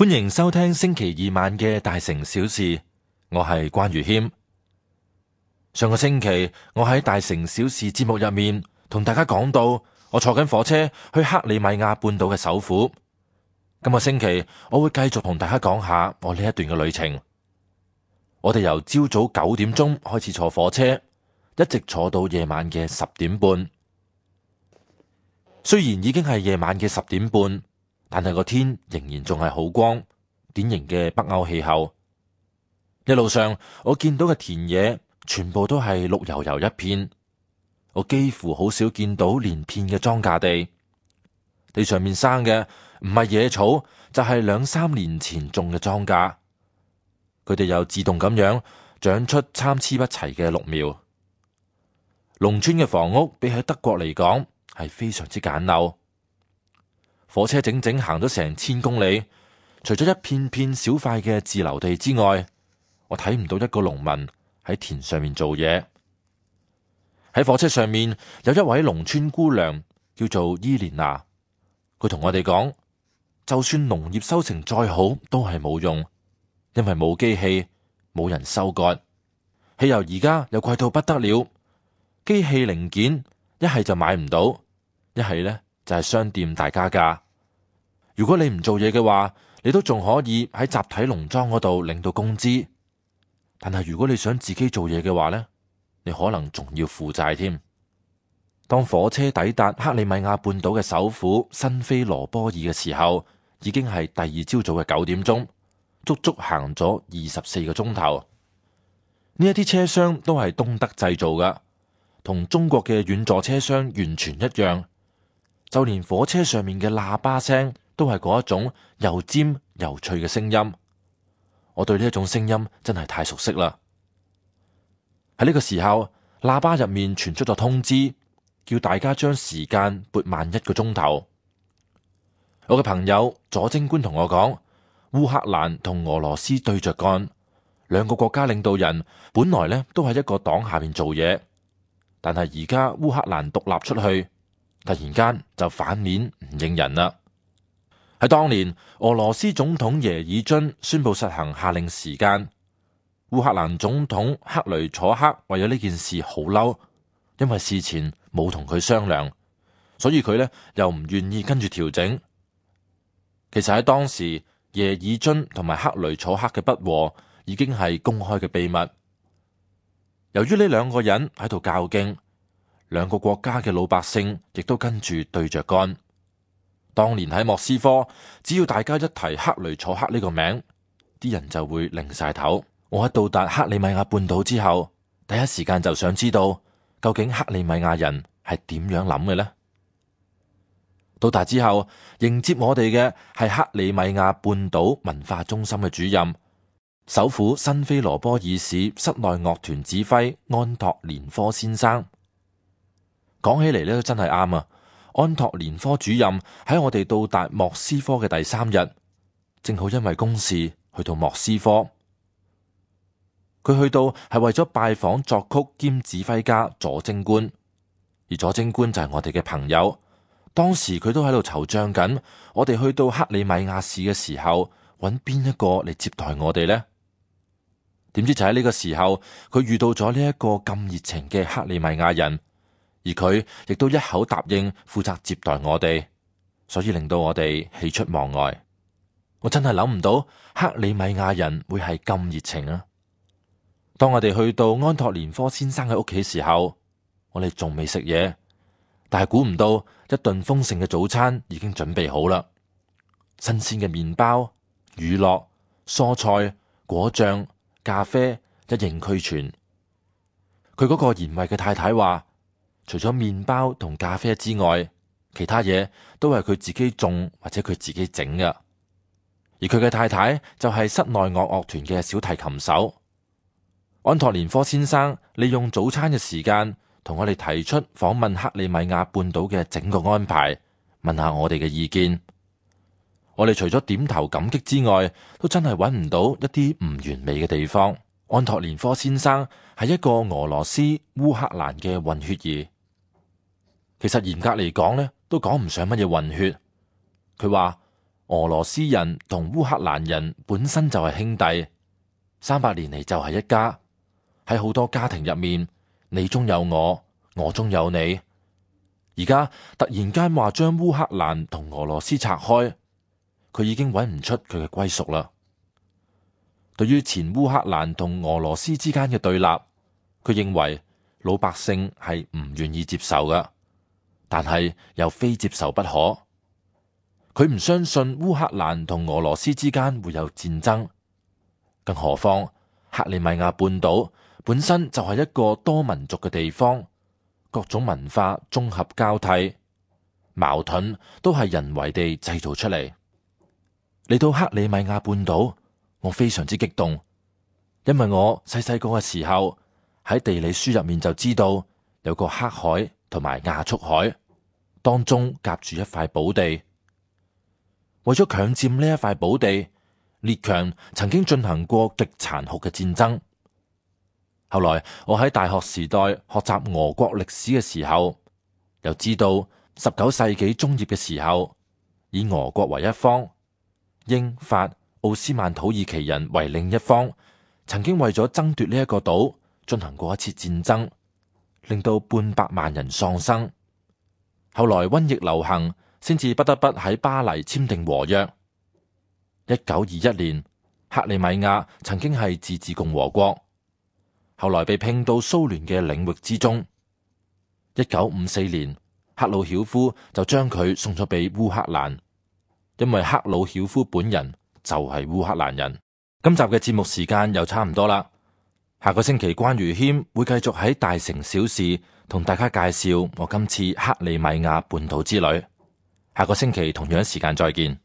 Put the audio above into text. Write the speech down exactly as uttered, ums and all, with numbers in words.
歡迎收聽星期二晚嘅大城小事，我係關愚謙。上個星期我喺大城小事節目入面同大家講到，我坐緊火車去克里米亞半島嘅首府。今個星期我會繼續同大家講下我呢一段嘅旅程。我哋由朝早九點鐘開始坐火車，一直坐到夜晚嘅十點半。雖然已經係夜晚嘅十點半，但係個天仍然仲係好光，典型嘅北歐氣候。一路上我見到嘅田野全部都係綠油油一片，我幾乎好少見到連片嘅莊稼地。地上面生嘅唔係野草，就係兩三年前種嘅莊稼。佢哋又自動咁樣長出參差不齊嘅綠苗。農村嘅房屋比喺德國嚟講係非常之簡陋。火車整整行咗成千公里，除咗一片片小塊嘅自留地之外，我睇唔到一個農民喺田上面做嘢。喺火車上面有一位農村姑娘叫做伊蓮娜，佢同我哋講，就算農業收成再好都係冇用，因為冇機器，冇人收割。汽油而家又貴到不得了，機器零件一係就買唔到，一係呢就係商店大加價。如果你唔做嘢嘅話，你都仲可以喺集體農莊嗰度領到工資。但係如果你想自己做嘢嘅話呢，你可能仲要負債添。當火車抵達克里米亞半島嘅首府新菲羅波爾嘅時候，已經係第二朝早嘅九點鐘，足足行咗二十四個鐘頭。呢一啲車廂都係東德製造㗎，同中國嘅軟座車廂完全一樣。就連火車上面嘅喇叭聲都係嗰一種又尖又脆嘅聲音。我對呢一種聲音真係太熟悉啦。喺呢個時候，喇叭入面傳出咗通知，叫大家將時間撥慢一個鐘頭。我嘅朋友左貞觀同我講，烏克蘭同俄羅斯對着幹，兩個國家領導人本來呢都喺一個黨下面做嘢，但係而家烏克蘭獨立出去，突然間就反面唔認人啦。喺當年，俄羅斯總統耶爾津宣布實行下令時間，烏克蘭總統克雷楚克為咗呢件事好嬲，因為事前冇同佢商量，所以佢呢又唔願意跟住調整。其實喺當時，耶爾津同埋克雷楚克嘅不和已經係公開嘅秘密。由於呢兩個人喺度較勁，兩個國家嘅老百姓亦都跟住對着幹。當年喺莫斯科，只要大家一提克雷楚克呢個名，啲人就會擰晒頭。我喺到達克里米亞半島之後，第一時間就想知道究竟克里米亞人係點樣諗嘅呢？到達之後，迎接我哋嘅係克里米亞半島文化中心嘅主任，首府新菲羅波爾市室內樂團指揮安托連科先生。講起嚟呢，都真係啱啊！安托連科主任喺我哋到達莫斯科嘅第三日，正好因為公事去到莫斯科。佢去到係為咗拜訪作曲兼指揮家左貞觀，而左貞觀就係我哋嘅朋友。當時佢都喺度惆悵緊，我哋去到克里米亞市嘅時候，揾邊一個嚟接待我哋呢？點知就喺呢個時候，佢遇到咗呢一個咁熱情嘅克里米亞人。而佢亦都一口答應負責接待我哋，所以令到我哋喜出望外。我真係諗唔到克里米亞人會係咁熱情啊！當我哋去到安托連科先生嘅屋企時候，我哋仲未食嘢，但係估唔到一頓豐盛嘅早餐已經準備好啦。新鮮嘅麵包、乳酪、蔬菜、果醬、咖啡一應俱全。佢嗰個賢惠嘅太太話，除咗麵包同咖啡之外，其他嘢都係佢自己種或者佢自己整嘅。而佢嘅太太就係室內樂樂團嘅小提琴手。安托連科先生利用早餐嘅時間同我哋提出訪問克里米亞半島嘅整個安排，問下我哋嘅意見。我哋除咗點頭感激之外，都真係揾唔到一啲唔完美嘅地方。安托連科先生係一個俄羅斯烏克蘭嘅混血兒。其實嚴格嚟講呢，都講唔上乜嘢混血。佢話俄羅斯人同烏克蘭人本身就係兄弟，三百年嚟就係一家。喺好多家庭入面，你中有我，我中有你。而家突然間話將烏克蘭同俄羅斯拆開，佢已經揾唔出佢嘅歸屬啦。對於前烏克蘭同俄羅斯之間嘅對立，佢認為老百姓係唔願意接受㗎，但係又非接受不可。佢唔相信烏克蘭同俄羅斯之間會有戰爭，更何況克里米亞半島本身就係一個多民族嘅地方，各種文化綜合交替，矛盾都係人為地製造出嚟。嚟到克里米亞半島，我非常之激動，因為我細細個嘅時候喺地理書入面就知道有個黑海同埋亞速海，當中夾住一塊寶地。為咗強佔呢一塊寶地，列強曾經進行過極殘酷嘅戰爭。後來我喺大學時代學習俄國歷史嘅時候，又知道十九世紀中葉嘅時候，以俄國為一方，英法奧斯曼土耳其人為另一方，曾經為咗爭奪呢一個島進行過一次戰爭，令到半百萬人喪生。後來瘟疫流行，先至不得不喺巴黎簽訂和約。一九二一年，克里米亞曾經係自治共和國，後來被併到蘇聯嘅領域之中。一九五四年，赫魯曉夫就將佢送咗俾烏克蘭，因為赫魯曉夫本人就係烏克蘭人。今集嘅節目時間又差唔多啦，下個星期關於謙會繼續喺大城小事同大家介紹我今次克里米亞半島之旅。下個星期同樣時間再見。